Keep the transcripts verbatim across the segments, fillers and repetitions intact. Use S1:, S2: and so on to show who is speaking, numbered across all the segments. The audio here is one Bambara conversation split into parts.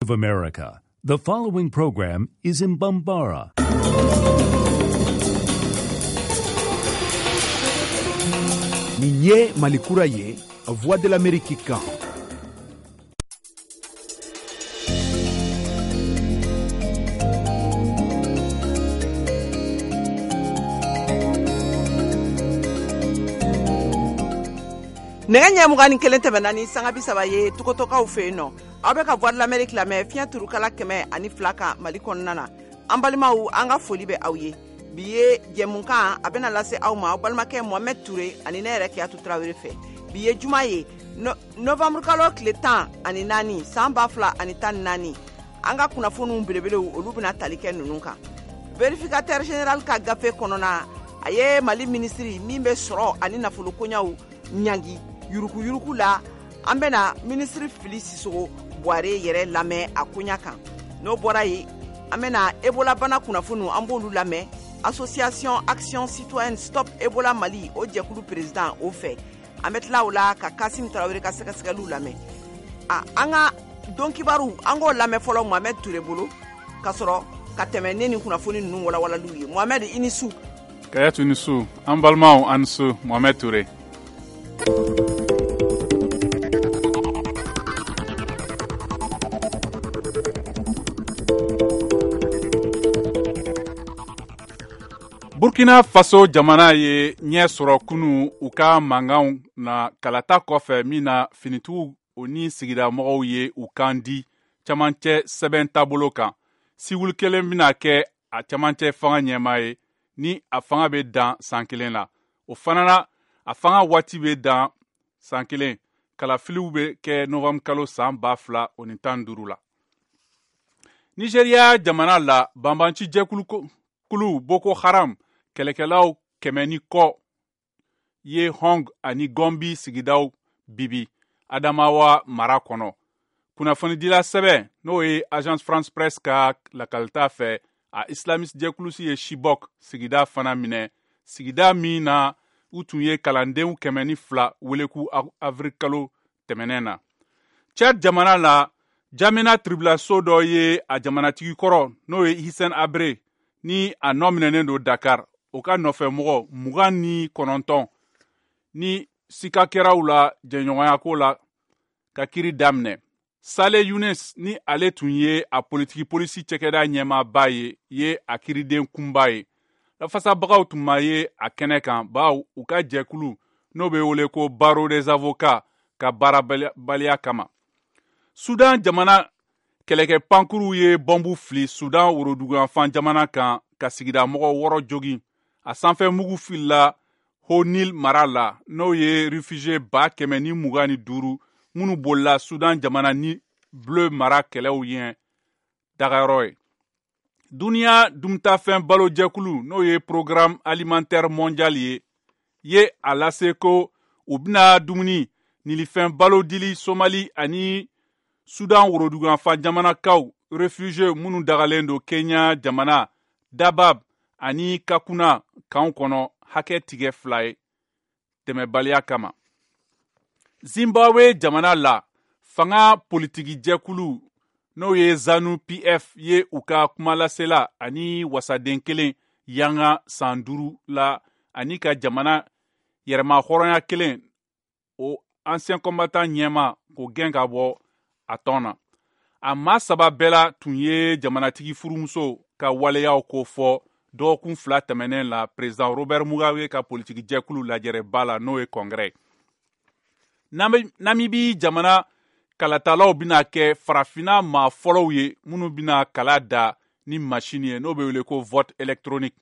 S1: Of America. The following program is in Bambara.
S2: Nin ye Malikura ye, Voix de l'Amérique kan.
S3: Nɛgɛ ɲɛ mugan ni kelen tɛmɛna ni sanga bi saba ye Togotokaw fɛ yen nɔ. Aw bɛ ka Voix de l'Amérique lamɛn fiɲɛ turukala kɛmɛ ani fila kan Mali kɔnɔna na. An balimaw, an ka foli bɛ aw ye. Bi ye jɛmukan a bɛna lase aw ma aw balimakɛ Mohamed Touré ani ne yɛrɛ Kiyatu Tarawele fɛ. Bi ye juma ye, novembre kalo tile tan ani naani san ba fila ani tan ni naani. An ka kunnafoniw belebelew olu bɛna tali kɛ ninnu kan. Vérificateur général ka gafe kɔnɔna, a ye Mali minisiri min bɛ sɔrɔ ani nafolo koɲaw ɲangi yuruguyurugu la, an bɛna minisiri Fili Sisogo Buware yɛrɛ lamɛn a koɲa kan. N'o bɔra yen, an bɛna Ebola bana kunnafoniw an b'olu lamɛn. Association Action Citoyenne Stop Ebola Mali o jɛkulu président o fɛ. An bɛ tila o la ka Kasim Tarawele ka sɛgɛsɛgɛliw lamɛn. A an ka don kibaru an k'o lamɛn fɔlɔ Mohamed Touré bolo ka sɔrɔ ka tɛmɛ ne ni kunnafoni ninnu walawalaliw ye. Mohamed, i ni su.
S4: Kayatu ni su, an balimaw an ni su. Mohamed Touré. Burkina Faso jamana ye ɲɛ sɔrɔ kunu u ka mankanw na kalata kɔfɛ min na finitigiw o ni sigidamɔgɔw ye u kan di camancɛ sɛbɛn taabolo kan. Siwili kelen bɛna kɛ a camancɛ fanga ɲɛmaa ye ni a fanga bɛ dan san kelen la. O fana na, a fanga waati bɛ dan san kelen. Kalafiliw bɛ kɛ novembre kalo san ba fila o ni tan duuru la. Nigeria jamana la, banbanci jɛkulu kulu Boko Haram kɛlɛkɛlaw kɛmɛ ni kɔ ye Hong ani Gombi sigidaw bibi Adamawa mara kɔnɔ. Kunnafonidila sɛbɛn n'o ye Agence France Presse ka lakalita fɛ, a Islamiste jɛkulusi ye Chibok sigida fana minɛ, sigida min na u tun ye kalandenw kɛmɛ ni fila wele k'u avril kalo tɛmɛnɛn na. Tchad jamana la, Jamena tribulaso dɔ ye a jamanatigi kɔrɔ n'o ye Hissène Habré ni a nɔ minɛnen don Dakar, o ka nɔfɛmɔgɔ mugan ni kɔnɔntɔn ni sika kɛraw la jɛɲɔgɔnyako la ka kiri daminɛ. Saleh Younes ni ale tun ye a politiki polisi cɛkɛda ɲɛmaaba ye, ye a kiriden kunba ye. Lafasabagaw tun ma ye a kɛnɛ kan bawo u ka jɛkulu n'o bɛ wele ko Barreau des avocats ka baarabaliya kama. Sudan jamana kɛlɛkɛ pankuruw ye bɔnbu fili Sudan woroduguyanfan jamana kan ka sigidamɔgɔ wɔɔrɔ jogin. A sanfɛ mugu filila Haut-Nil mara la n'o ye réfugié ba kɛmɛ ni mugan ni duuru minnu bolila Sudan jamana ni bleu mara kɛlɛw ɲɛ dagayɔrɔ ye. Duniya dumunitafɛn balojɛkulu n'o ye Programme alimentaire mondial ye ye a lase ko u bɛna dumuni nilifɛn balo dili Somali ani Sudan woroduguyanfan jamanakaw réfugié minnu dagalen don Kenya jamana Dabab ani Kakuna kanw kɔnɔ hakɛ tigɛ fila ye dɛmɛbaliya kama. Zimbabwe jamana la, fanga politiki jɛkulu n'o ye ZANU P F ye u ka kumalasela ani wasaden kelen yanga san duuru la ani ka jamana yɛrɛma hɔrɔnya kelen o ancien combattant ɲɛma k'o gɛn ka bɔ a tɔn na. A maa saba bɛɛ la tun ye jamanatigi furumuso ka waleyaw ko fɔ dɔgɔkun fila tɛmɛnen la président Robert Mugabe ka politiki jɛkulu lajɛrɛba la n'o ye congrès. Namibi jamana kalatalaw bɛna kɛ farafinna maa fɔlɔw ye minnu bɛna kala da ni machine ye n'o bɛ wele ko vote électronique.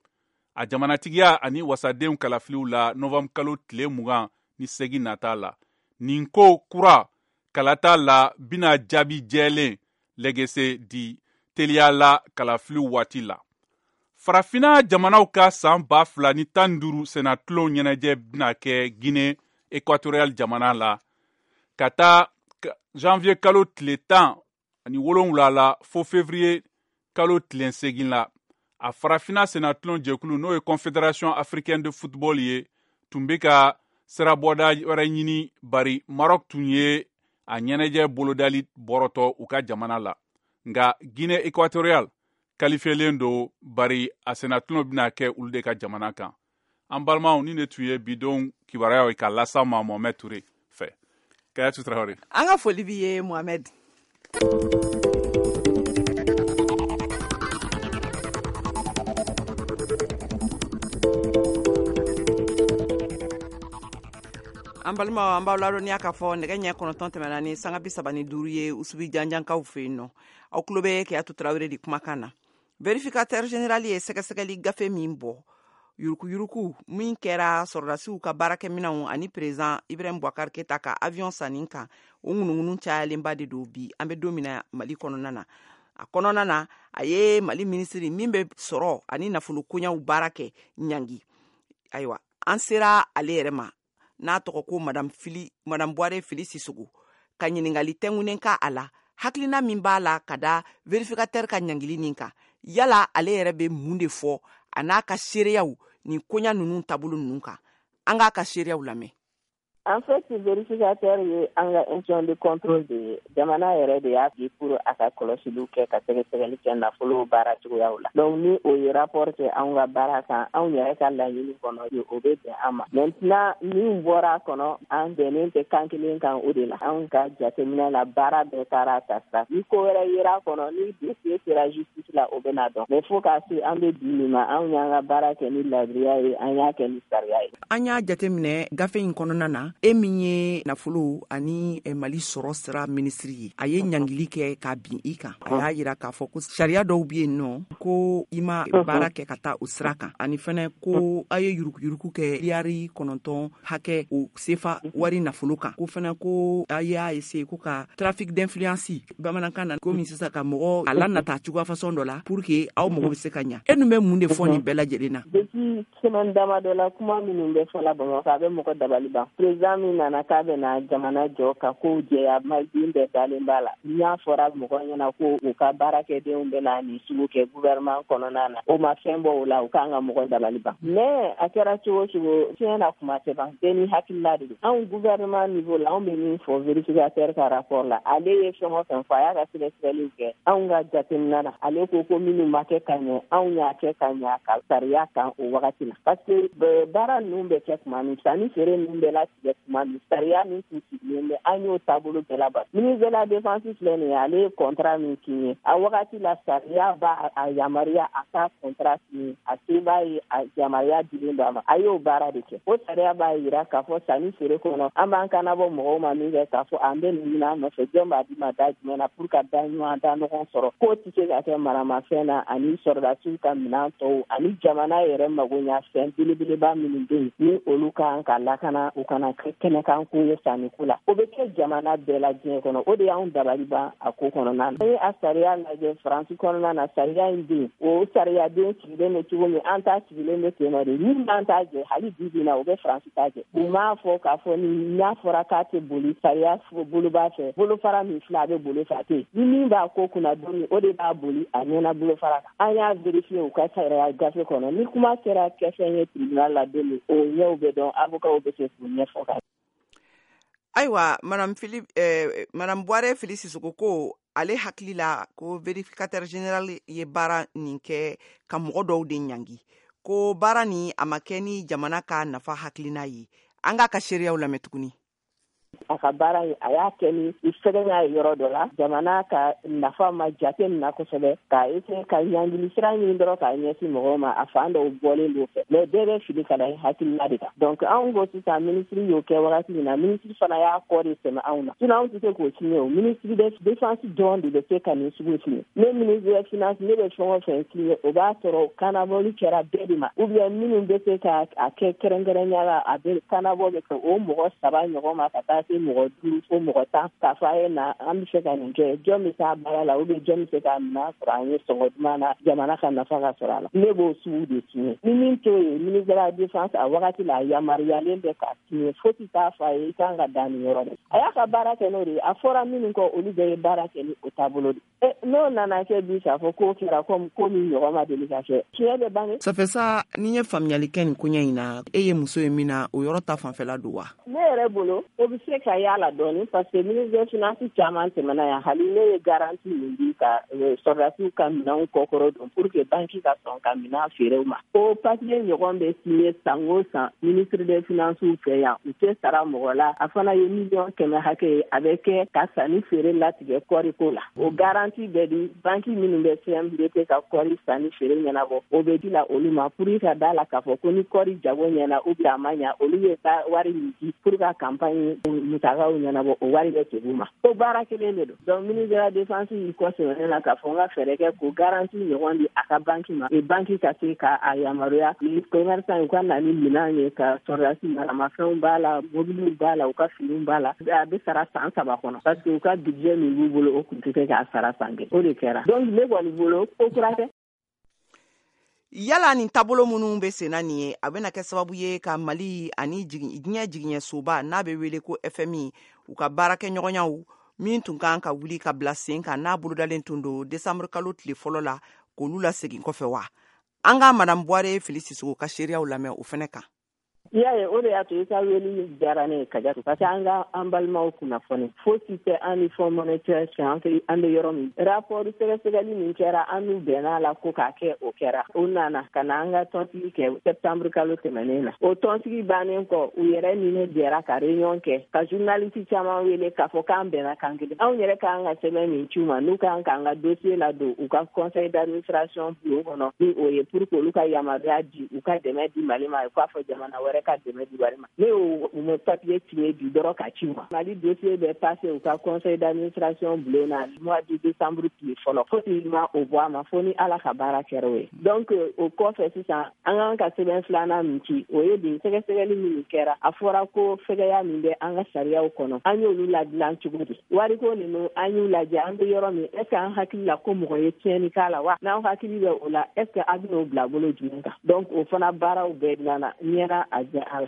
S4: A jamanatigiya ani wasadenw kalafiliw la novembre kalo tile mugan ni segin nata la. Nin ko kura kalata la bɛna jaabi jɛlen lɛgɛsɛ di teliya la kalafiliw waati la. Farafinna jamanaw ka san ba fila ni tan ni duuru sennatulon ɲɛnajɛ bɛna kɛ Guinée équatoriale jamana la ka taa janvier kalo tile tan ani wolonwula la fo février kalo tile segin la. A farafinna sennatulon jɛkulu n'o ye Confédération africaine de football ye tun bɛ ka sirabɔda wɛrɛ ɲini bari Maroc tun ye a ɲɛnajɛ bolodali bɔrɔtɔ u ka jamana la. Nka Guinée Équatoriale qualifiélen don, bari a sennatulon bɛna kɛ olu de ka jamana kan. An balimaw, ni ne tun ye bidon kibaruyaw ye ka las'aw ma Mohamed Touré fɛ. Kayatu Traoré.
S3: An ka foli b'i ye Mohamed. An balimaw, an b'aw ladɔnniya k'a fɔ nɛgɛ ɲɛ kɔnɔntɔn tɛmɛna ni sanga bi saba ni duuru ye Usubi janjankaw fɛ yen nɔ. Aw tulo bɛ Kayatu Traoré de kumakan na. Vérificateur général ye sɛgɛsɛgɛli gafe min bɔ, yurukuyuruku min kɛra sɔrɔdasiw ka baarakɛminɛnw ani président Ibrahim Boubacar Keita ka avion sanni kan, o ŋunuŋunu cayalenba de don bi an bɛ don min na Mali kɔnɔna na. A kɔnɔna na, a ye Mali minisiri min bɛ sɔrɔ ani nafolo koɲaw baara kɛ ɲangi. Ayiwa, an sera ale yɛrɛ ma, n'a tɔgɔ ko Madame Fili, Madame Boire Fili Sissoco, ka ɲininkali tɛnkunnen ka a la, hakilina min b'a la ka da vérificateur ka ɲangili nin kan. Yala ale yɛrɛ bɛ mun de fɔ a n'a ka seereyaw nin koɲa ninnu taabolo ninnu kan? An k'a ka seereyaw lamɛn.
S5: En fait, vérificateur ye an ka institution de contrôle de ye. Jamana yɛrɛ de y'a di pour a ka kɔlɔsiliw kɛ, ka sɛgɛsɛgɛli kɛ nafolo baara cogoyaw la. Donc ni o ye rapport kɛ anw ka baara kan, anw yɛrɛ ka laɲini kɔnɔ, o bɛ bɛn an ma. Maintenant, min bɔra a kɔnɔ, an bɛnnen tɛ kan kelen kan o de la. Anw ka jateminɛ la, baara bɛɛ taara ta sira. Ni ko wɛrɛ yera a kɔnɔ, ni dossier sera justice la, o bɛna dɔn. Mais fo k'a se an bɛ bi min ma, anw y'an ka baara kɛ ni ladiriya ye, an y'a kɛ ni sariya ye.
S3: An y'a jateminɛ gafe in kɔnɔna na, e min ye nafolo ani Mali sɔrɔ sira minisiri ye, a ye ɲangili kɛ ka bin i kan. A y'a yira k'a fɔ ko sariya dɔw bɛ yen nɔ ko i ma baara kɛ ka taa o sira kan, ani fɛnɛ ko a ye yurukuyuruku kɛ miliyari kɔnɔntɔn hakɛ o sefa wari nafolo kan, ko fɛnɛ ko a y'a essayer ko ka trafic d'influence, bamanankan na komi sisan ka mɔgɔ a lanata cogoya façon dɔ la pour que aw mago bɛ se ka ɲa. E dun bɛ mun de fɔ nin bɛɛ lajɛlen na?
S5: Depuis semaine damadɔ la, kuma minnu bɛ fɔla Bamakɔ, a bɛ mɔgɔ dabali ban. Président min nana k'a bɛna jamana jɔ ka kow jɛya, maliden bɛɛ dalen b'a la. N'a fɔra mɔgɔ ɲɛna ko u ka baarakɛdenw bɛna nin sugu kɛ gouvernement kɔnɔna na, o ma fɛn bɔ o la, u k'an ka mɔgɔ dabali ban. Mais a kɛra cogo o cogo, tiɲɛ na kuma tɛ ban, bɛɛ ni hakilila de don. Anw gouvernement niveau la, anw bɛ min fɔ vérificateur ka rapport la, ale ye fɛn o fɛn fɔ, a y'a ka sɛgɛsɛgɛliw kɛ. Anw ka jateminɛ na, ale ko ko minnu ma kɛ ka ɲɛ, anw y'a kɛ ka ɲɛ ka sariya kan o wagati la. Parce que baara ninnu bɛ kɛ tuma min, sanni feere ninnu bɛ latigɛ tuma min, sariya min tun sigilen bɛ, an y'o taabolo bɛɛ labato. Ministre de la défense filɛ nin ye, ale ye contrat min signé a wagati la, sariya b'a a yamaruya a ka contrat signé, a se b'a ye, a yamaruya dilen don a ma, a y'o baara de kɛ. O sariya b'a yira k'a fɔ sanni feere kɔnɔ, an b'an kanabɔ mɔgɔw ma min kɛ k'a fɔ an bɛ nin ɲini an nɔfɛ, jɔn b'a di ma da jumɛn na pour ka da ɲɔgɔn da ɲɔgɔn sɔrɔ. K'o tɛ se ka kɛ maramafɛn na ani sɔrɔdasiw ka minɛn tɔw ani jamana yɛrɛ magoɲafɛn belebeleba minnu bɛ yen, ni olu kan ka lakana, u kana kɛ kɛnɛkan ko ye sanniko la. O bɛ kɛ jamana bɛɛ la diɲɛ kɔnɔ. O de y'anw dabali ban a ko kɔnɔna na. An ye a sariya lajɛ Faransi kɔnɔna na, sariya in bɛ yen, o sariyaden sigilen bɛ cogo min, an ta sigilen bɛ ten nɔ de. Min b'an ta jɛ hali bi bi in na, o bɛ Faransi ta jɛ. U m'a fɔ k'a fɔ ni n'a fɔra k'a tɛ boli sariya boloba fɛ, bolofara min filɛ, a bɛ boli fɛ, a tɛ yen. Ni min b'a ko kunna don min, o de b'a boli a ɲɛna bolofara kan. An y'a vérifier u ka sariya gafe kɔnɔ. Ni kuma sera kɛfɛn ye tribunal la don min, o ɲɛw bɛ dɔn, avocat bɛ se k'u ɲɛfɔ ka.
S3: Ayiwa, Madame Philippe, eh, Madame Boire Fili Sissoco ko ale hakili la ko vérificateur général ye baara nin kɛ ka mɔgɔ dɔw de ɲangi, ko baara nin a ma kɛ ni jamana ka nafa hakilina ye. An k'a ka seereyaw lamɛn tuguni.
S5: A ka baara ye, a y'a kɛ ni sɛgɛnya ye yɔrɔ dɔ la, jamana ka nafa ma jate min na kosɛbɛ, k'a essayer ka ɲangili sira ɲini dɔrɔn k'a ɲɛsin mɔgɔw ma, a fan dɔw bɔlen don fɛ. Mais bɛɛ bɛ fili ka da hakilina de kan. Donc anw ko sisan, minisiri y'o kɛ wagati min na, minisiri fana y'a kɔ de sɛmɛ anw na. Sinon anw tɛ se k'o signer o. Ministre de défense dɔrɔn de bɛ se ka nin sugu signer. Ne ministre de finance, ne bɛ fɛn o fɛn signer, o b'a sɔrɔ kanabɔli kɛra bɛɛ de ma, ou bien minnu bɛ se ka a kɛ kɛrɛnkɛrɛnya la, a bɛ kanabɔ bɛ kɛ o mɔgɔ saba ɲɔgɔn ma ka taa se mɔgɔ duuru fo mɔgɔ tan, k'a fɔ a ye na an bɛ se ka nin kɛ, jɔn bɛ s'a baara la, ou bien jɔn bɛ se k'a minɛ sɔrɔ an ye sɔngɔ duman na, jamana ka nafa ka sɔrɔ a la. Ne b'o sugu de signer. Ni min t'o ye, ministre de la défense a wagati la, a yamaruyalen bɛ k'a signer, fosi t'a fɔ a ye i kan ka dan nin yɔrɔ de. A y'a ka baara kɛ n'o de ye. A fɔra minnu kɔ, olu bɛɛ ye baara kɛ ni o taabolo de ye. N'o nana kɛ bi k'a fɔ k'o kɛra komi ko min ɲɔgɔn ma deli ka kɛ, tiɲɛ bɛ bange.
S3: Ça fait ça, ni ye faamuyali kɛ nin koɲɛ in na, e ye muso ye min na, o yɔrɔ ta fanfɛla don wa?
S5: Ne yɛrɛ bolo, o bɛ se ka y'a la dɔɔni parce que ministre des finances caman tɛmɛna yan, hali ne ye garantie min di ka sɔrɔdasiw ka minɛnw kɔkɔrɔ don pour que banque ka sɔn ka minɛn feere u ma. O papier ɲɔgɔn bɛ signé san o san ministre des finances fɛ yan, u tɛ sara mɔgɔ la. A fana ye miliyɔn kɛmɛ hakɛ ye, a bɛ kɛ ka sanni feere latigɛ kɔɔriko la. O garantie bɛ di banque minnu bɛ C M D T ka kɔɔri sanni feere ɲɛnabɔ, o bɛ di la olu ma pour ka da la k'a fɔ ko ni kɔɔri jago ɲɛna ou bien a ma ɲa, olu bɛ taa wari min di pour ka campagne musakaw ɲɛnabɔ, o wari bɛ segin u ma. O baara kelen de don. Donc ministre de la défense y'i kɔsɛmɛ ne la k'a fɔ n ka fɛɛrɛ kɛ k'o garantie ɲɔgɔn di a ka banque ma, et banque ka se k'a yamaruya ni commerçant u ka na ni minɛn ye ka sɔrɔdasi maramafɛnw b'a la, mobiliw b'a la, u ka finiw b'a la. A bɛ sara san saba kɔnɔ parce que u ka budget min b'u bolo o tun tɛ se k'a sara san kelen. O de kɛra. Donc ne kɔni bolo ko kura tɛ.
S3: Yala nin taabolo minnu bɛ senna nin ye, a bɛna kɛ sababu ye ka Mali ani diɲɛ jigiɲɛsoba n'a bɛ wele ko F M I u ka baarakɛɲɔgɔnyaw min tun kan ka wuli ka bila sen kan n'a bolodalen tun don décembre kalo tile fɔlɔ la, k'olu lasegin kɔfɛ wa? An ka Madame Buware Fili Sisoko ka seereyaw lamɛn o fɛnɛ kan.
S5: I y'a ye, o de y'a to i ka wele diyara ne ye Kajatu, parce que an ka an balimaw kunnafoni fosi tɛ an ni Fonds monétaire cɛ, an an bɛ yɔrɔ min. Rapport sɛgɛsɛgɛli min kɛra, an n'u bɛnna la ko k'a kɛ, o kɛra. O nana ka na an ka tɔnsigi kɛ septembre kalo tɛmɛnen na. O tɔnsigi bannen kɔ, u yɛrɛ ni ne jɛra ka réunion kɛ, ka journaliste caman wele k'a fɔ k'an bɛnna kan kelen. Anw yɛrɛ k'an ka sɛbɛn min ci u ma, n'u k'an k'an ka dossier ladon u ka conseil d'administration bulon kɔnɔ, ni o ye pour que olu ka yamaruya di, u ka dɛmɛ di Mali ma, u k'a fɔ jamana wɛrɛ ka dɛmɛ di wari ma. Ne y'o u papier signé bi dɔrɔn ka ci u ma. Mali dossier bɛ passé u ka conseil d'administration bulon na mois de décembre tile fɔlɔ. Fosi ma o bɔ a ma fo ni Ala ka baara kɛra o ye. Donc o kɔfɛ sisan, an k'an ka sɛbɛn filanan min ci, o ye de sɛgɛsɛgɛli minnu kɛra, a fɔra ko fɛgɛya min bɛ an ka sariyaw kɔnɔ, an y'olu ladilan cogo di? Wariko ninnu an y'u lajɛ, an bɛ yɔrɔ min, est ce que an hakili la ko mɔgɔ ye tiɲɛni k'a la wa? N'aw hakili bɛ o la, est ce que a bɛn'o bila bolo jumɛn kan? Donc o fana baaraw bɛɛ dilanna ɲɛna. A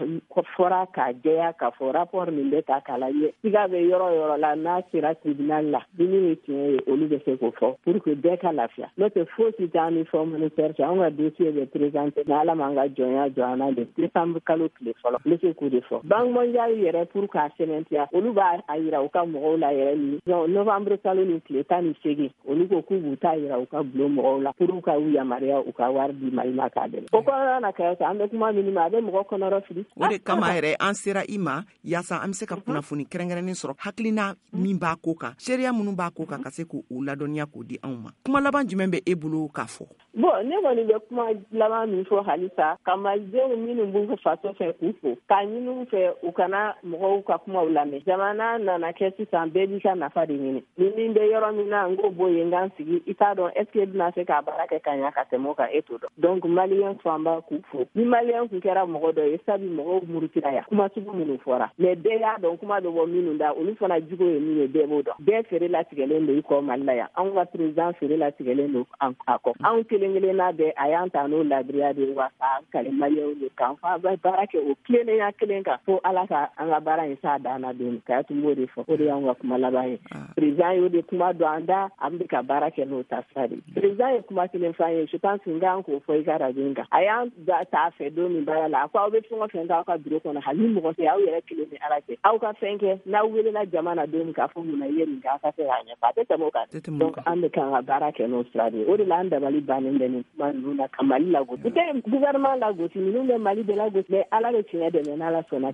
S5: fɔra k'a jɛya k'a fɔ rapport min bɛ ta k'a lajɛ, siga bɛ yɔrɔ yɔrɔ la, n'a sera tribunal la, ni min ye tiɲɛ ye, olu bɛ se k'o fɔ pour que bɛɛ ka lafiya. N'o tɛ fosi t'an ni Fonds monétaire cɛ. Anw ka dossier bɛ présenté n'Ala m'an ka jɔnya jɔ an na de décembre kalo tile fɔlɔ, n bɛ se k'o de fɔ. Banque mondiale yɛrɛ, pour k'a sɛmɛntiya, olu b'a yira u ka mɔgɔw la yɛrɛ ni novembre kalo ni tile tan ni seegin, olu ko k'u b'u ta yira u ka bulon mɔgɔw la pour ka u yamaruya u ka wari di Mali ma k'a dɛmɛ. O kɔnɔna na kɛ an bɛ kuma minnu ma, a bɛ mɔgɔ kɔnɔrɔ fili.
S3: O de kama yɛrɛ an sera i ma yaasa an bɛ se ka kunnafoni kɛrɛnkɛrɛnnen sɔrɔ, hakilina min b'a ko kan, seereya minnu b'a ko kan, ka se k'o ladɔnniya k'o di anw ma. Kuma laban jumɛn bɛ e bolo k'a fɔ?
S5: Bon, ne kɔni bɛ kuma laban min fɔ halisa, ka malidenw minnu b'u faso fɛ k'u fo, k'a ɲini u fɛ u kana mɔgɔw ka kumaw lamɛn. Jamana nana kɛ sisan, bɛɛ b'i ka nafa de ɲini. Ni min bɛ yɔrɔ min na, n k'o bɔ yen n k'an sigi, i t'a dɔn est ce que e bɛna se k'a baara kɛ ka ɲa ka tɛmɛ o kan, e t'o dɔn. Donc maliyɛn fanba k'u fo. Ni maliyɛn kun kɛra mɔgɔ dɔ ye, sabu mɔgɔw murutira yan, kuma sugu minnu fɔra, mais bɛɛ y'a dɔn kuma bɛ bɔ minnu da, olu fana jugu ye min ye, bɛɛ b'o dɔn. Bɛɛ feere latigɛlen don i kɔ Mali la yan. Anw ka président feere latigɛlen don a kɔ. Anw kelen kelenna bɛɛ a y'an ta n'o ladiriya de ye, wa k'an kale maliyɛnw ye k'an fa baara kɛ o tilennenya kelen kan, fo Ala ka an ka baara in s'a dan na don. K'a tun b'o de fɔ, o de y'anw ka kuma laban ye. Président y'o de kuma don an da, an bɛ ka baara kɛ n'o taasira de ye. Président ye kuma kelen f'an ye, je pense n kan k'o fɔ i ka radio in kan. A y'an t'a fɛ don min baara la, a ko aw bɛ fɛn o fɛn k'aw ka bureau kɔnɔ, hali ni mɔgɔ tɛ, aw yɛrɛ kelen ni Ala cɛ, aw ka fɛn kɛ, n'aw welela jama na don min k'a fɔ mun na i ye nin kɛ, aw ka se k'a ɲɛfɔ, a tɛ tɛmɛ o kan. Donc an bɛ kan ka baara kɛ n'o sira de ye. O de la an dabali bannen bɛ nin kuma ninnu na ka Mali lagosi. U tɛ gouvernement lagosi, ninnu bɛ Mali de lagosi, mais Ala bɛ tiɲɛ dɛmɛ n'Ala sɔnna.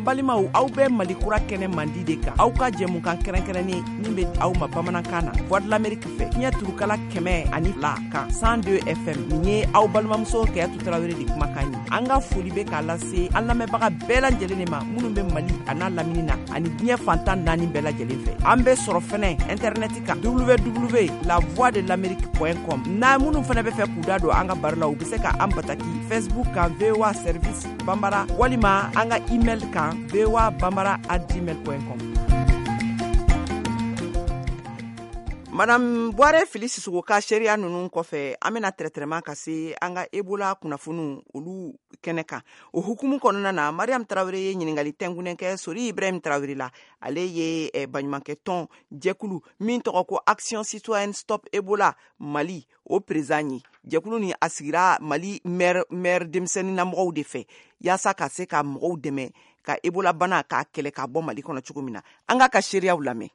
S3: Balimaw, aw bɛ Mali kura kɛnɛ mandi de kan, aw ka jɛmukan kɛrɛnkɛrɛnnen min bɛ aw ma bamanankan na, Voix de l'Amérique fɛ, fiɲɛ turukala kɛmɛ ani fila kan cent deux F M. Nin ye aw balimamuso Kayatu Tarawele de kumakan ye. An ka foli bɛ k'a lase an lamɛnbaga bɛɛ lajɛlen de ma minnu bɛ Mali a n'a lamini na ani diɲɛ fantan naani bɛɛ lajɛlen fɛ. An bɛ sɔrɔ fɛnɛ internet kan w w w la voix de l'amérique point com. N'a minnu fɛnɛ bɛ fɛ k'u da don an ka baro la, u bɛ se ka an bataki Facebook kan V O A Service Bambara, walima an ka email kan v o a bambara at gmail point com. Madame Buware Fili Sisoko ka seereya ninnu kɔfɛ, an bɛna tɛrɛtɛrɛma ka se an ka Ebola kunnafoniw olu kɛnɛ kan. O hukumu kɔnɔna na, Mariam Tarawele ye ɲininkali tɛnkunnen kɛ Sori Ibrahim Tarawele la. Ale ye eh, baɲumankɛ tɔn jɛkulu min tɔgɔ ko Action Citoyenne Stop Ebola Mali, o président ye. Jɛkulu ni a sigira Mali maire maire denmisɛnninnamɔgɔw de fɛ yaasa ka se ka mɔgɔw dɛmɛ ka Ebola bana k'a kɛlɛ k'a bɔ Mali kɔnɔ cogo min na. An k'a ka seereyaw lamɛn.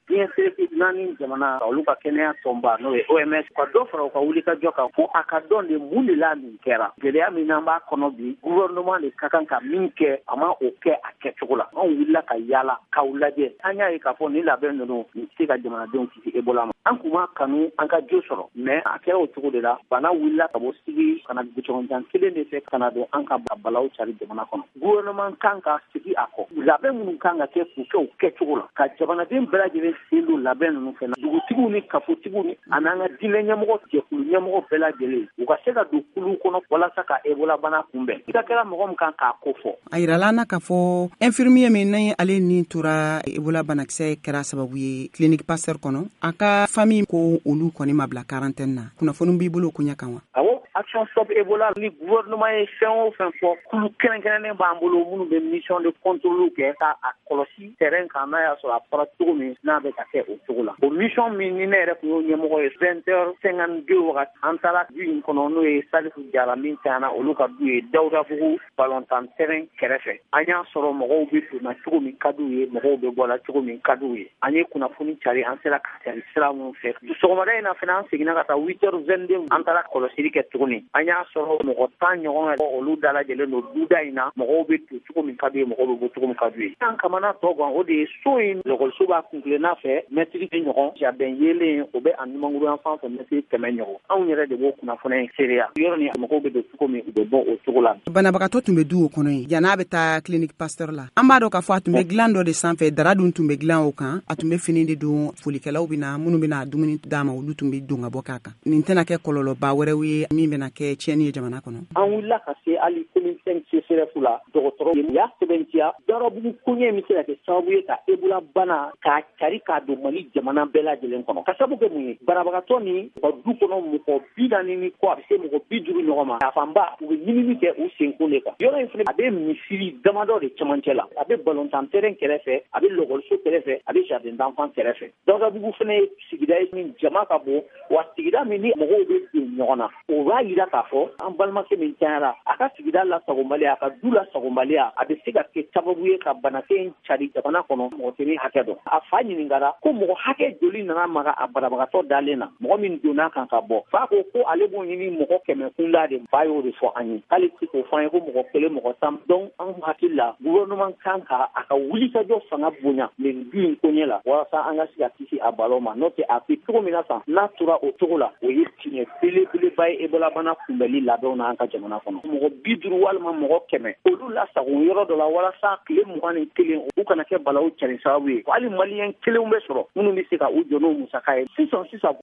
S6: Diɲɛ seleke naani jamana, olu ka kɛnɛya tɔnba, n'o ye O M S, ka dɔ fara u ka wulikajɔ kan fo a ka dɔn de mun de la nin kɛra. Gɛlɛya min n'an b'a kɔnɔ bi, gouvernement de ka kan ka min kɛ, a ma o kɛ a kɛcogo la. Anw wulila ka yaala k'aw lajɛ, an y'a ye k'a fɔ nin labɛn ninnu nin tɛ se ka jamanadenw kisi Ebola ma. An kun m'a kanu an ka jo sɔrɔ, mais a kɛra o cogo de la. Bana wulila ka bɔ Sigi ka na goudron kelen de fɛ ka na don an ka balaw cari jamana kɔnɔ. Gouvernement kan ka sigi a kɔ, labɛn minnu kan ka kɛ, k'u kɛ o kɛcogo la, ka jamanaden bɛɛ lajɛlen sen don labɛn ninnu fɛ, dugutigiw ni kafotigiw ni a n'an ka diinɛ ɲɛmɔgɔ, jɛkulu ɲɛmɔgɔ bɛɛ lajɛlen, u ka se ka don kulu kɔnɔ walasa ka Ebola bana kunbɛn. I ka kɛra mɔgɔ min kan k'a ko fɔ.
S7: A yirala an na k'a fɔ infirmier min ni ale ni tora Ebola banakisɛ kɛra sababu ye clinique Pasteur kɔnɔ, a ka famille ko olu kɔni ma bila quarantaine na. Kunnafoni b'i bolo o koɲɛ kan wa?
S6: Awɔ, Action Stop Ebola ni gouvernement ye fɛn o fɛn fɔ, kulu kɛrɛnkɛrɛnnen b'an bolo minnu bɛ mission de contrôle kɛ ka a kɔlɔsi terrain kan, n'a y'a sɔrɔ a fɔra cogo min n'a bɛ ka kɛ o cogo la. O mission min ni ne yɛrɛ tun y'o ɲɛmɔgɔ ye, vingt heures cinquante deux wagati, an taara du in kɔnɔ, n'o ye Salifu Jara min tanyana, olu ka du ye Dawudabugu balontan terrain kɛrɛfɛ. An y'a sɔrɔ mɔgɔw bɛ donna cogo min ka d'u ye, mɔgɔw bɛ bɔla cogo min ka d'u ye. An ye kunnafoni cari, an sera ka cari sira minnu fɛ. Sɔgɔmada in na fana, an seginna ka taa huit heures vingt-deux, an taara kɔlɔsili kɛ tuguni. An y'a sɔrɔ mɔgɔ tan ɲɔgɔn, olu dalajɛlen don duda in na. Mɔgɔw bɛ don cogo min ka d'u ye, mɔgɔw bɛ bɔ cogo min ka d'u ye. An kamana tɔ gan, o de ye so in lɔkɔliso b'a kunkilenna fɛ mɛtiri ɲɔgɔn, jardin yelen o bɛ a numankuru yan fan fɛ mɛtiri kɛmɛ ɲɔgɔn. Anw yɛrɛ de b'o kunnafoniya in seereya. Yɔrɔ ni mɔgɔw bɛ don cogo min, u bɛ bɔ o cogo la.
S7: Banabagatɔ tun bɛ du o kɔnɔ yen yan'a bɛ taa clinique Pasteur la. An b'a dɔn k'a fɔ a tun bɛ dilan dɔ de sanfɛ, dara dun tun bɛ dilan o kan, a tun bɛ fini de don. Folikɛlaw bɛ na, minnu bɛna dumuni d'a ma, olu tun bɛ don ka bɔ k'a kan. Nin tɛna kɛ kɔlɔlɔba wɛrɛw ye min bɛna kɛ tiɲɛni ye jamana kɔnɔ?
S6: An wulila ka se hali commune cinq C S R F la, dɔgɔtɔrɔ u y'a sɛbɛntiya Dawudabugu koɲɛ min bɛ se ka kɛ sababu ye ka Ebola bana k'a cari k'a don Mali jamana bɛɛ lajɛlen kɔnɔ. Ka sababu kɛ mun ye? Banabagatɔ ni u ka du kɔnɔ mɔgɔ bi naani ni kɔ, a bɛ se mɔgɔ bi duuru ɲɔgɔn ma, a fanba u bɛ ɲinini kɛ u senkun de kan. Yɔrɔ in fana, a bɛ misiri damadɔ de cɛmancɛ la, a bɛ balontan terrain kɛrɛfɛ, a bɛ lɔkɔliso kɛrɛfɛ, a bɛ jardin d'enfant kɛrɛfɛ. Dawudabugu fana ye sigida ye min jama ka bon, wa sigida min ni mɔgɔw bɛ don ɲɔgɔn na. O b'a yira k'a fɔ an balimakɛ min cayara, a ka sigida lasagobaliya, a ka du lasagobaliya, a bɛ se ka kɛ sababu ye ka banakisɛ in cari jamana kɔnɔ. Mɔgɔ tɛ min hakɛ dɔn. A fa ɲininkara ko mɔgɔ hakɛ joli nana maga a banabagatɔ dalen na, mɔgɔ min donna kan ka bɔ. Fa ko ko ale b'o ɲini mɔgɔ kɛmɛ kunda de. Fa y'o de fɔ an ye, k'ale tɛ se k'o fɔ an ye ko mɔgɔ kelen, mɔgɔ tan. Donc anw hakili la, gouvernement kan ka a ka wulikajɔ fanga bonya nin du in koɲɛ la walasa an ka se ka kisi a balo ma. N'o tɛ, a bɛ cogo min na tan, n'a tora o cogo la, o ye tiɲɛ belebeleba ye Ebola bana kunbɛnli labɛnw na an ka jamana kɔnɔ. Mɔgɔ bi duuru walima mɔgɔ kɛmɛ, olu lasago yɔrɔ dɔ la walasa tile mugan ni kelen u kana kɛ balawu cari sababu ye. Hali maliyɛn kelenw bɛ sɔrɔ minnu bɛ se ka u jɔ n'o musaka ye sisan sisan.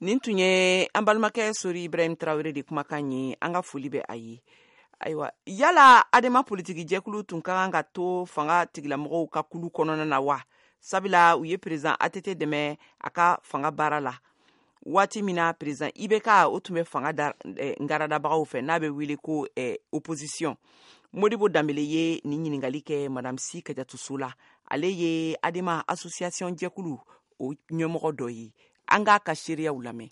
S3: Nin tun ye an balimakɛ Sori Ibrahim Tarawele de kumakan ye. An ka foli bɛ a ye. Ayiwa, yala Adema politiki jɛkulu tun ka kan ka to fanga tigilamɔgɔw ka kulu kɔnɔna na wa? Sabula u ye président A T T dɛmɛ a ka fanga baara la waati min na président I B K o tun bɛ fanga da eh, ngaradabagaw fɛ, n'a bɛ wele ko eh, opposition. Modibo Danbele ye nin ɲininkali kɛ Madame Si Kajatu la. Ale ye Adema association jɛkulu o ɲɛmɔgɔ dɔ ye. An k'a ka seereyaw lamɛn.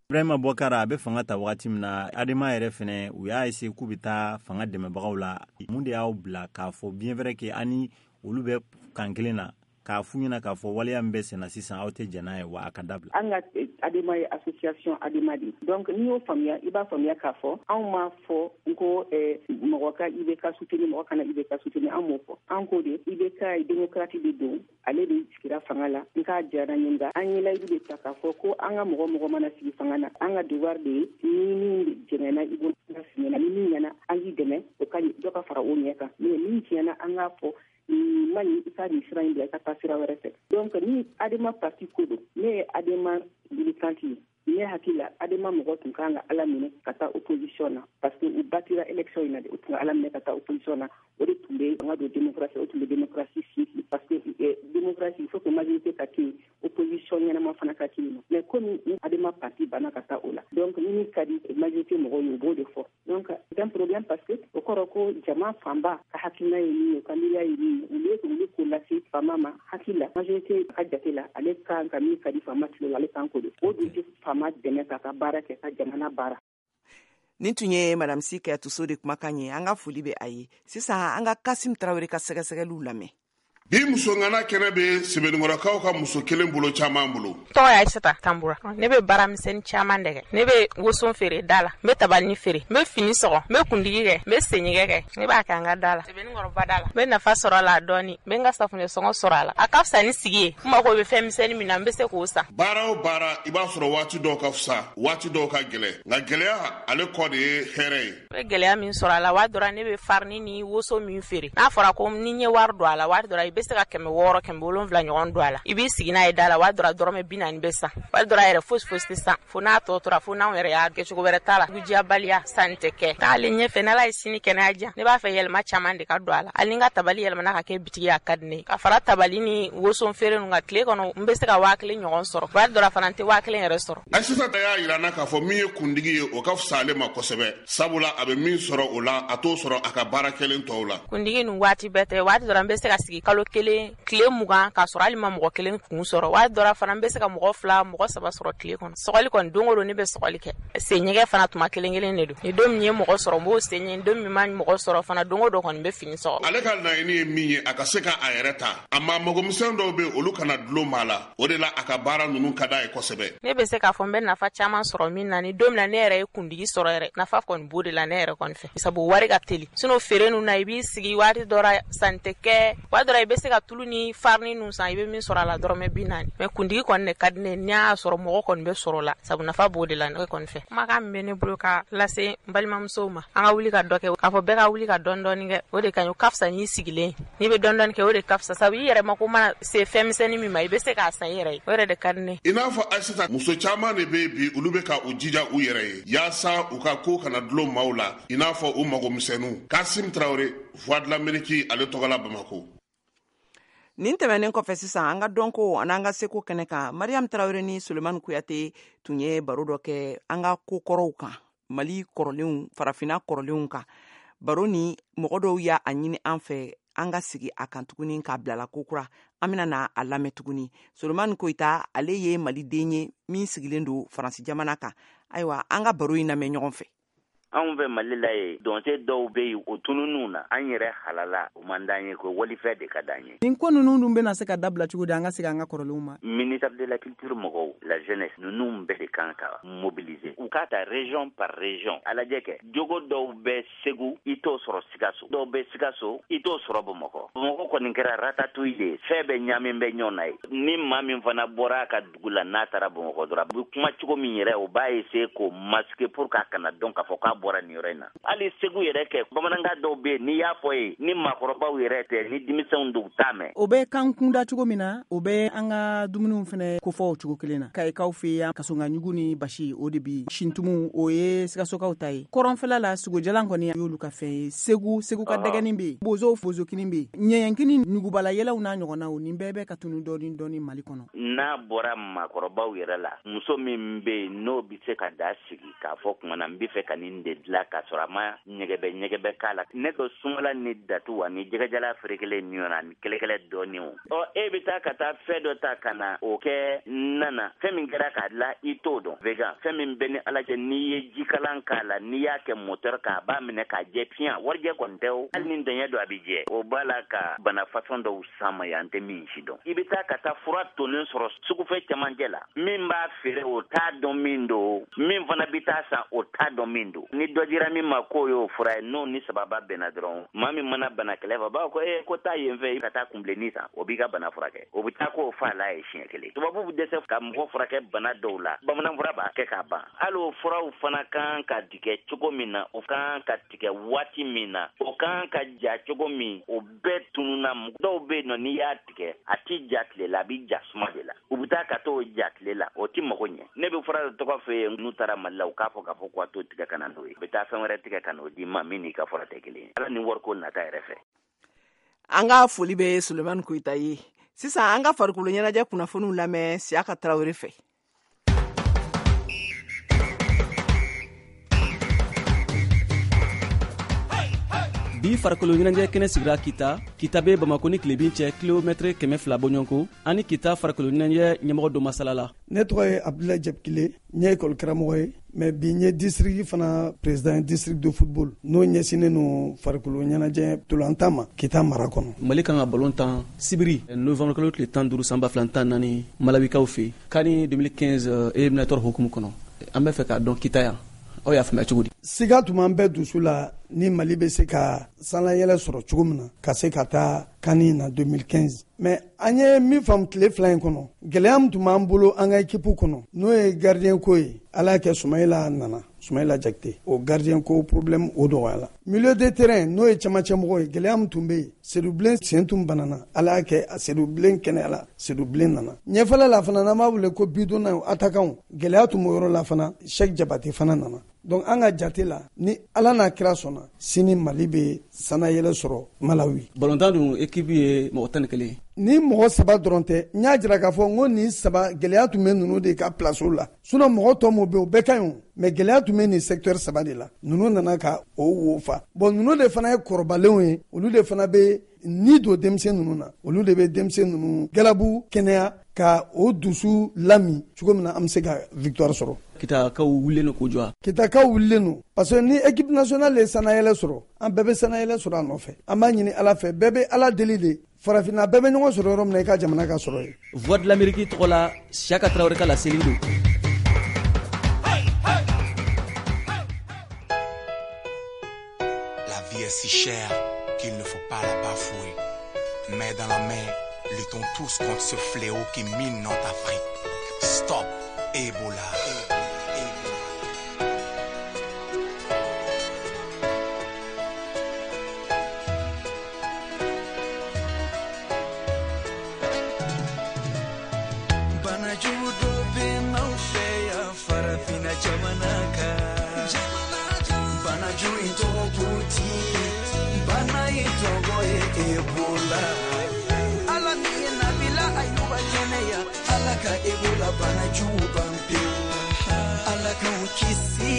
S8: Ibrahima Bɔkara a bɛ fanga ta wagati min na, Adema yɛrɛ fɛnɛ u y'a essayer k'u bɛ taa fanga dɛmɛbagaw la. Mun de y'aw bila k'a fɔ bien vrai que ani olu bɛ kan kelen na, k'a f'u ɲɛna k'a fɔ waleya min bɛ senna sisan, aw tɛ jɛn n'a ye wa a ka dabila?
S9: An ka Adema ye association Adema de. Donc n'i y'o faamuya, i b'a faamuya k'a fɔ anw m'a fɔ n ko mɔgɔ ka I B K soutenir, mɔgɔ kana I B K soutenir. An m'o fɔ. An ko de I B K ye démocrate de don, ale de sigira fanga la. N k'a diyara n ye, nka an ye layidu de ta k'a fɔ ko an ka mɔgɔ mɔgɔ mana sigi fanga na, an ka devoir de ye ni min jɛngɛnna, i bolo ɲɛna, ni min ɲɛna, an k'i dɛmɛ o ka dɔ ka fara o ɲɛ kan. Mais min tiɲɛna, an k'a fɔ nin man ɲi, i ka nin sira in bila, i ka taa sira wɛrɛ fɛ. Donc ni Adema parti ko don, ne ye Adema militante ye. Ne hakili la, Adema mɔgɔ tun kan ka Ala minɛ ka taa opposition na parce que u batira élection in na de, u tun ka Ala minɛ ka taa opposition na, o de tun bɛ an ka don démocratie, o tun bɛ démocratie sinsin, parce que démocratie, il faut que majorité ka kɛ yen, opposition ɲɛnama fana ka kɛ yen. Mais komi Adema parti banna ka taa o la, donc ni min ka di majorité mɔgɔw ye, u b'o de fɔ. Donc c'est un problème, parce que o kɔrɔ ko jama fanba ka hakilina ye min ye, u ka miiriya ye min ye, olu ye olu k'o lase faama ma. Hakili la, majorité ka jate la, ale kan ka min ka di faama tulo la, ale kan k'o de o dun tɛ faama dɛmɛ k'a ka baara kɛ, ka jamana baara.
S3: Nin tun ye Madame Si Kayatuso de kumakan ye. An ka foli bɛ a ye. Sisan an ka Kasim Tarawele ka sɛgɛsɛgɛliw lamɛn.
S10: Bi musongana kɛnɛ bɛ Sɛbɛnnikɔrɔkaw ka muso kelen bolo caman bolo.
S11: Tɔgɔ ye Aïssata Tambura. Ne bɛ baaramisɛnnin caman de kɛ. Ne bɛ woson feere da la, n bɛ tabalini feere, n bɛ fini sɔgɔ, n bɛ kundigi kɛ, n bɛ senɲɛgɛ kɛ. Ne b'a kɛ an ka da la, Sɛbɛnnikɔrɔba da la. N bɛ nafa sɔrɔ a la dɔɔni, n bɛ n ka safunɛ sɔngɔ sɔrɔ a la. A ka fisa ni sigi ye. N mako bɛ fɛn misɛnnin min na, n bɛ se k'o san.
S10: Baara o baara, i b'a sɔrɔ waati dɔw ka fisa, waati dɔw ka gɛlɛn, nka gɛlɛya ale kɔ de ye hɛrɛ ye.
S11: N bɛ gɛlɛya min sɔrɔ a la, waati dɔ la ne bɛ farini ni woso min feere, n'a fɔra ko ni n ye wari don a la, waati dɔ la i bɛ se ka kɛmɛ wɔɔrɔ, kɛmɛ wolonwula ɲɔgɔn don a la. I b'i sigi n'a ye da la, waati dɔ la dɔrɔmɛ bi naani bɛ san, waati dɔ la yɛrɛ fosi fosi tɛ san, fo n'a tɔ tora, fo n'anw yɛrɛ y'a kɛ cogo wɛrɛ t'a la. Dugujɛbaliya, sanni tɛ kɛ. Taalen ɲɛfɛ, n'Ala ye sini kɛnɛya diyan, ne b'a fɛ yɛlɛma caman de ka don a la. Hali ni n ka tabali yɛlɛmana ka kɛ bitigi ye, a ka di ne ye. Ka fara tabali ni woson feere ninnu kan, tile kɔnɔ n bɛ se ka waa kelen ɲɔgɔn sɔrɔ, waati dɔ la fana n tɛ waa kelen yɛrɛ sɔrɔ.
S10: Aïssata y'a yira n na k'a fɔ min ye kundigi ye, o ka fisa ale ma kosɛbɛ, sabula a bɛ min sɔrɔ o la, a t'o sɔrɔ a ka baara kɛlen tɔw la.
S11: Kundigi ninnu waati bɛɛ tɛ, waati dɔ la n bɛ se ka sigi kalo kelen, tile mugan, k'a sɔrɔ hali ma mɔgɔ kelen kun sɔrɔ. Waati dɔ la fana n bɛ se ka mɔgɔ fila, mɔgɔ saba sɔrɔ tile kɔnɔ. Sɔgɔli kɔni, don o don ne bɛ sɔgɔli kɛ. Senɲɛgɛ fana tuma kelen kelen de don. Ni don min ye mɔgɔ sɔrɔ, n b'o sen ɲɛ. Don min ma mɔgɔ sɔrɔ fana, don o don kɔni n bɛ fini sɔgɔ.
S10: Ale ka laɲini ye min ye, a ka se ka a yɛrɛ ta. A ma magomisɛn dɔw bɛ, olu kana dulon maa la, o de la a ka baara ninnu ka d'a ye kosɛbɛ.
S11: Ne bɛ se k'a fɔ n bɛ nafa caman sɔrɔ min na, ni don min na ne yɛrɛ ye kundigi sɔrɔ yɛrɛ, nafa kɔni b'o de la ne yɛrɛ kɔni fɛ, sabu wari ka teli. Sinon feere ninnu na, i b'i sigi waati dɔ la, sanni tɛ kɛ, waati dɔ la i bɛ se ka tulu ni farini ninnu san, i bɛ min sɔrɔ a la dɔrɔmɛ bi naani. Mais kundigi kɔni de ka di ne ye, n'i y'a sɔrɔ mɔgɔ kɔni bɛ sɔrɔ la, sabu nafa b'o de la ne kɔni fɛ. Kumakan min bɛ ne bolo ka lase n balimamusow ma, an ka wuli ka dɔ kɛ, k'a fɔ bɛɛ ka wuli ka dɔɔni dɔɔni kɛ, o de ka ɲi. O ka fisa n'i sigilen, n'i bɛ dɔɔni dɔɔni kɛ, o de ka fisa, sabu i yɛrɛ mako mana se fɛn misɛnnin min ma, i bɛ se k'a san i yɛrɛ ye, o yɛrɛ de ka di ne ye.
S10: I n'a fɔ Aïssata, muso caman de bɛ bi, olu bɛ ka u jija u yɛrɛ ye yaasa u ka ko kana dulon maaw la, i n'a fɔ u magomisɛnninw. Kasim Tarawele, Voix de l'Amérique, ale tɔgɔ la Bamako.
S3: Nin tɛmɛnen kɔfɛ, sisan an ka dɔnko ani an ka seko kɛnɛ kan, Mariam Tarawele ni Sulemani Kuyate tun ye baro dɔ kɛ an ka ko kɔrɔw kan, Mali kɔrɔlenw, farafinna kɔrɔlenw kan. Baro ni mɔgɔ dɔw y'a ɲini an fɛ an ka sigi a kan tuguni k'a bilala ko kura. An bɛna na a lamɛn tuguni. Sulemani Koyita, ale ye maliden ye min sigilen don Faransi jamana kan. Ayiwa, an ka baro in lamɛn ɲɔgɔn fɛ.
S12: Anw fɛ Mali la ye, dɔnse dɔw bɛ yen, o tununw na, an yɛrɛ halala, o man d'an ye ko walifɛ de ka d'an ye.
S7: Nin ko ninnu dun bɛna se ka dabila cogo di, an ka segin an ka kɔrɔlenw ma?
S12: Ministère de la culture mɔgɔw, la jeunesse, ninnu bɛɛ de kan ka mobiliser, u k'a ta région par région, a lajɛ kɛ jogo dɔw bɛ Segu, i t'o sɔrɔ Sikaso, dɔw bɛ Sikaso, i t'o sɔrɔ Bamakɔ. Bamakɔ kɔni kɛra ratatouille de ye, fɛn bɛɛ ɲaamin bɛ ɲɔgɔn na ye. Ni maa min fana bɔra a ka dugu la, n'a taara Bamakɔ dɔrɔn, a bɛ kuma cogo min yɛrɛ, o b'a essayer k'o masquer pour k'a kana dɔn k'a fɔ k'a bɔra nin yɔrɔ in na. Hali Segu yɛrɛ kɛ, bamanankan dɔw bɛ yen, n'i y'a fɔ ye, ni maakɔrɔbaw yɛrɛ tɛ, ni denmisɛnw don, u t'a mɛn.
S7: O bɛ kan kunda cogo min na, o bɛ an ka dumuniw fɛnɛ kofɔ o cogo kelen na. Kayikaw fɛ yan, kasongaɲugu ni basi, o de bi sintumu, o ye Sikasokaw ta ye. Kɔrɔnfɛla la, sogojalan kɔni y'olu ka fɛn ye. Segu, Segu ka dɛgɛni bɛ yen, bozow bozokini bɛ yen, ɲɛɲɛkini, nugubala yɛlɛw n'a ɲɔgɔnnaw, nin bɛɛ bɛ ka tunu dɔɔni dɔɔni Mali kɔnɔ.
S12: N'a bɔra maakɔrɔbaw yɛrɛ la, muso min bɛ yen n'o bɛ se ka da sigi k'a fɔ kuma na, n bɛ fɛ ka nin de dilan, k'a sɔrɔ a ma ɲɛgɛbɛ ɲɛgɛbɛ k'a la, ne ko sumala ni datu ani jɛgɛjala ferekelen ɲɔgɔn na ani kɛlɛkɛlɛ dɔɔni. O ɔ e bɛ taa ka taa fɛn dɔ ta ka na o kɛ nana, fɛn min kɛra k'a dilan, i t'o dɔn. Vegan, fɛn min bɛ ni Ala cɛ, n'i ye jikalan k'a la, n'i y'a kɛ moteur k'a b'a minɛ k'a jɛ fiɲɛ, warijɛ kɔni tɛ o, hali ni dɛɲɛ don a bɛ jɛ. O b'a la ka bana fasɔn dɔw sama yan, an tɛ min si dɔn. I bɛ taa ka taa fura tonnen sɔrɔ sugufɛ cɛmancɛ la, min b'a feere o t'a dɔn min don, min fana bɛ taa san o t'a dɔn min don. Ni dɔ dira min ma k'o y'o fura ye, n'o ni sababa bɛnna dɔrɔn, maa min mana bana kɛlɛ fɛ, b'a fɔ ko ee ko taa yen fɛ ka taa kunbilennin san, o b'i ka bana furakɛ. O bɛ taa k'o fa la ye siɲɛ kelen. Tubabu bɛ dɛsɛ ka mɔgɔ furakɛ bana dɔw la, bamanan fura b'a kɛ k'a ban. Hali o furaw fana kan ka tigɛ cogo min na, o kan ka tigɛ waati min na, o kan ka ja cogo min, o bɛɛ tununna. Dɔw bɛ yen nɔ, n'i y'a tigɛ a ti ja tile la, a bɛ ja suma de la. U bɛ taa ka t'o ja tile la, o ti mago ɲɛ. Ne bɛ fura dɔ tɔgɔ fɛ yen, n'u taara Mali la, u k'a fɔ k'a fɔ k'a t'o tigɛ ka na n'o ye. ye. U bɛ taa fɛn wɛrɛ tigɛ ka n'o d'i ma min n'i ka fura tɛ kelen ye. Ala ni wariko nata yɛrɛ fɛ.
S3: An ka foli bɛ Sulemani Koyita ye. Sisan an ka farikolo ɲɛnajɛ kunnafoniw lamɛn Siyaka Tarawele fɛ.
S13: Bi farikolo ɲɛnajɛ kɛnɛ sigira Kita. Kita bɛ Bamakɔ ni tilebin cɛ kilomɛtɛrɛ kɛmɛ fila bɔɲɔgɔnko. Ani Kita farikolo ɲɛnajɛ ɲɛmɔgɔ dɔ masala la.
S14: Ne tɔgɔ ye Abdoulaye Jabkile, n ye école karamɔgɔ ye, mais bi n ye district fana président district de football n'o ɲɛsinnen don farikolo ɲɛnajɛ ntolantan ma Kita mara kɔnɔ.
S13: Mali kan ka ballon tan sibiri novembre kalo tile tan duuru san ba fila tan naani Malawikaw fɛ CAN deux mille quinze éliminatoire hukumu kɔnɔ. An bɛ fɛ k'a dɔn Kita yan, aw y'a faamuya cogo di?
S14: Siga tun b'an bɛɛ dusu la ni Mali bɛ se ka sanlayɛlɛ sɔrɔ cogo min na ka se ka taa CAN na deux mille quinze. Mais an ye min faamu tile fila in kɔnɔ, gɛlɛya min tun b'an bolo an ka équipe kɔnɔ n'o ye gardien ko ye, Ala y'a kɛ Sumayila nana, Sumayila Jakite, o gardien ko problème o dɔgɔyala. Milieu de terrain n'o ye camancɛmɔgɔ ye, gɛlɛya min tun bɛ yen, Seydou Bilen sen tun banana, Ala y'a kɛ Seydou Bilen kɛnɛyala, Seydou Bilen nana. Ɲɛfɛla la fana n'an b'a wele ko bidonna attaquant, gɛlɛya tun b'o yɔrɔ la fana, Cheikh Jabate fana nana. Donc an ka jate la ni Ala n'a kira sɔnna sini Mali bɛ sanayɛlɛ sɔrɔ Malawi.
S13: Balontan dun équipe ye mɔgɔ tan ni kelen ye.
S14: Ni mɔgɔ saba dɔrɔn tɛ, n y'a jira k'a fɔ n ko nin saba gɛlɛya tun bɛ ninnu de ka place la. Sinon mɔgɔ tɔ min bɛ yen o bɛɛ ka ɲi o, mais gɛlɛya tun bɛ nin secteur saba de la. Ninnu nana ka o wo fa. Bon ninnu de fana ye kɔrɔbalenw ye, olu de fana bɛ ni don denmisɛn ninnu na, olu de bɛ denmisɛn ninnu galabu kɛnɛya ka o dusu lami cogo min na an bɛ se ka victoire sɔrɔ.
S13: Kitakaw wulilen don k'u jɔ.
S14: Kitakaw wulilen don parce que ni équipe nationale ye sanayɛlɛ sɔrɔ, an bɛɛ bɛ sanayɛlɛ sɔrɔ a nɔfɛ. An b'a ɲini Ala fɛ, bɛɛ bɛ Ala deli de, farafinna bɛɛ bɛ ɲɔgɔn sɔrɔ yɔrɔ min na i ka jamana ka sɔrɔ yen.
S13: Voix de l'Amérique tɔgɔ la, Siyaka Tarawele ka laseli don.
S15: La vie est si chère qu'il ne faut pas la bafouer. Mais dans la main, luttons tous contre ce fléau qui mine notre Afrique. Stop Ebola.
S16: Ebola bana jugu ban pewu, Ala k'anw kisi.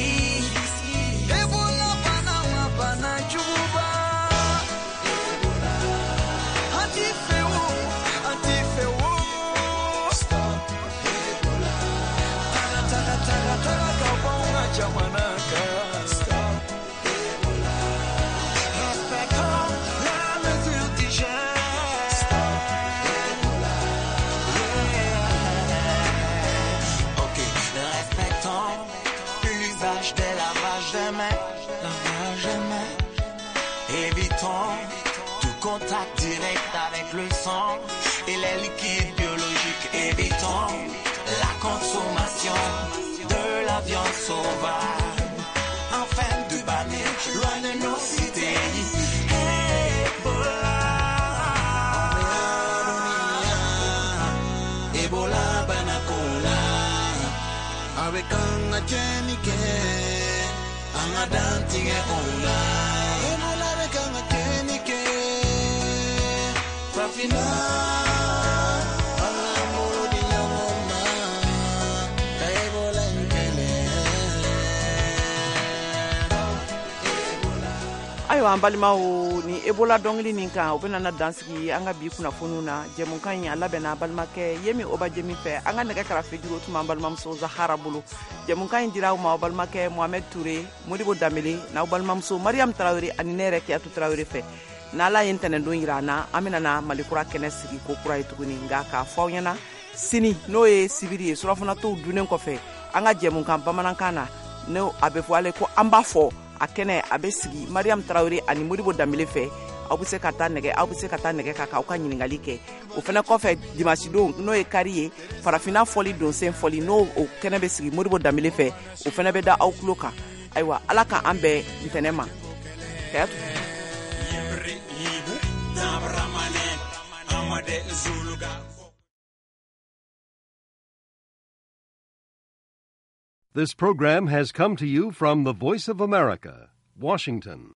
S16: Ebola bana ma bana juguba. Ebola, an t'i fɛ o, an t'i fɛ o. Stop Ebola. Taga taga taga taga ka bɔ anw ka jamana kan. Stop Ebola. Respectons la mesure d'hygiène. Stop Ebola. L'usage des lavages de mains, lavage de mains. Évitons tout contact direct avec le sang et les liquides biologiques. Évitons la consommation de la viande sauvage. Enfin de bannir loin de nos cités. Ebola, Ebola banakola. Avec un tienike, un adantingue ola. Ebola avec un tienike, Fafina.
S3: Ayiwa an balimaw, ni Ebola dɔnkili nin kan, o bɛna na dansigi an ka bi kunnafoniw na. Jɛmukan in a labɛnna balimakɛ Yemi Obajemi fɛ, an ka nɛgɛ karafe juru tun b'an balimamuso Zahara bolo. Jɛmukan in dira aw ma aw balimakɛ Mohamed Touré, Modibo Danbele n'aw balimamuso Mariam Tarawele ani ne yɛrɛ Kiyatu Tarawele fɛ. N'Ala ye ntɛnɛndon yira an na, an bɛna na Mali kura kɛnɛ sigi ko kura ye tuguni. Nka k'a fɔ aw ɲɛna sini n'o ye sibiri ye, surɔfanatɔw dunnen kɔfɛ, an ka jɛmukan bamanankan na, n'o a bɛ fɔ ale ko an b'a fɔ a kɛnɛ a bɛ sigi Mariam Tarawele ani Modibo Danbele fɛ. Aw bɛ se ka taa nɛgɛ aw bɛ se ka taa nɛgɛ kan k'aw ka ɲininkali kɛ. O fana kɔfɛ dimanche don n'o ye kari ye, farafinna fɔli donsen fɔli n'o o kɛnɛ bɛ sigi Modibo Danbele fɛ, o fana bɛ da aw tulo kan. Ayiwa Ala ka an bɛn ntɛnɛn ma. Kayatu.
S17: This program has come to you from the Voice of America, Washington.